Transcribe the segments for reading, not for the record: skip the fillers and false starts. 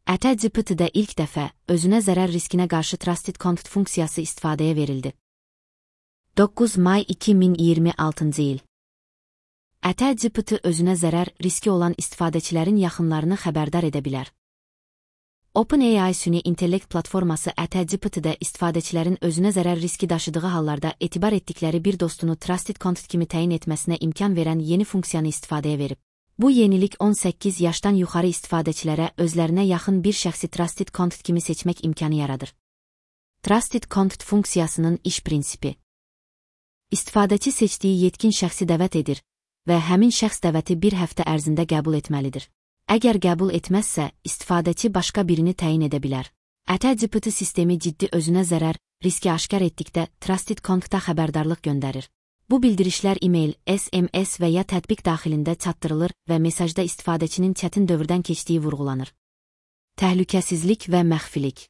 AT-GPT-də ilk dəfə özünə zərər riskinə qarşı Trusted Content funksiyası istifadəyə verildi. 9 may 2026-cı il. AT-GPT özünə zərər riski olan istifadəçilərin yaxınlarını xəbərdar edə bilər. OpenAI süni intellekt platforması AT-GPT-də istifadəçilərin özünə zərər riski daşıdığı hallarda etibar etdikləri bir dostunu Trusted Content kimi təyin etməsinə imkan verən yeni funksiyanı istifadəyə verib. Bu yenilik 18 yaşdan yuxarı istifadəçilərə özlərinə yaxın bir şəxsi Trusted Content kimi seçmək imkanı yaradır. Trusted Content funksiyasının iş prinsipi. İstifadəçi seçdiyi yetkin şəxsi dəvət edir və həmin şəxs dəvəti bir həftə ərzində qəbul etməlidir. Əgər qəbul etməzsə, istifadəçi başqa birini təyin edə bilər. AT-GPT sistemi ciddi özünə zərər riski aşkar etdikdə Trusted Content'a xəbərdarlıq göndərir. Bu bildirişlər e-mail, SMS və ya tətbiq daxilində çatdırılır və mesajda istifadəçinin çətin dövrdən keçdiyi vurğulanır. Təhlükəsizlik və məxfilik.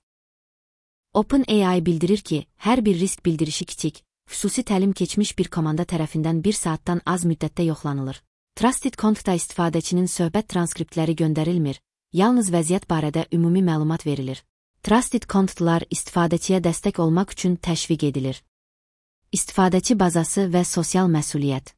OpenAI bildirir ki, hər bir risk bildirişi kiçik, xüsusi təlim keçmiş bir komanda tərəfindən 1 saatdan az müddətdə yoxlanılır. Trusted Content'a istifadəçinin söhbət transkriptləri göndərilmir, yalnız vəziyyət barədə ümumi məlumat verilir. Trusted Content'lar istifadəçiyə dəstək olmaq üçün təşviq edilir. İstifadəçi bazası və sosial məsuliyyət.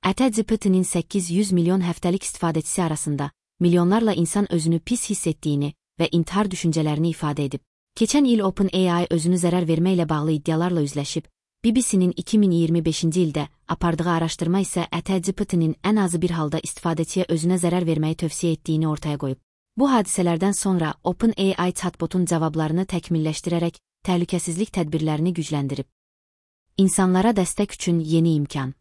AT-GPT-nin 800 milyon həftəlik istifadəçisi arasında milyonlarla insan özünü pis hiss etdiyini və intihar düşüncələrini ifadə edib. Keçən il OpenAI özünü zərər verməklə bağlı iddialarla üzləşib, BBC-nin 2025-ci ildə apardığı araşdırma isə AT-GPT-nin ən azı bir halda istifadəçiyə özünə zərər verməyi tövsiyə etdiyini ortaya qoyub. Bu hadisələrdən sonra OpenAI chatbotun cavablarını təkmilləşdirərək təhlükəsizlik tədbirlərini gücləndirib. İnsanlara dəstək üçün yeni imkan.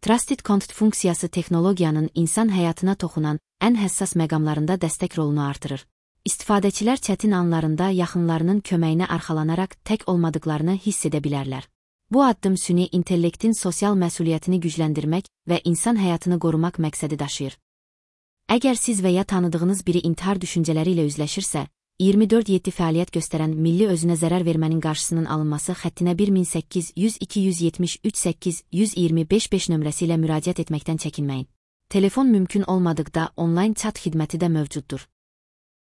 Trusted Content funksiyası texnologiyanın insan həyatına toxunan ən həssas məqamlarında dəstək rolunu artırır. İstifadəçilər çətin anlarında yaxınlarının köməyinə arxalanaraq tək olmadıqlarını hiss edə bilərlər. Bu addım süni intellektin sosial məsuliyyətini gücləndirmək və insan həyatını qorumaq məqsədi daşıyır. Əgər siz və ya tanıdığınız biri intihar düşüncələri ilə üzləşirsə, 24/7 fəaliyyət göstərən milli özünə zərər vermənin qarşısının alınması xəttinə 1800-273-8-125 nömrəsi ilə müraciət etməkdən çəkinməyin. Telefon mümkün olmadıqda onlayn chat xidməti də mövcuddur.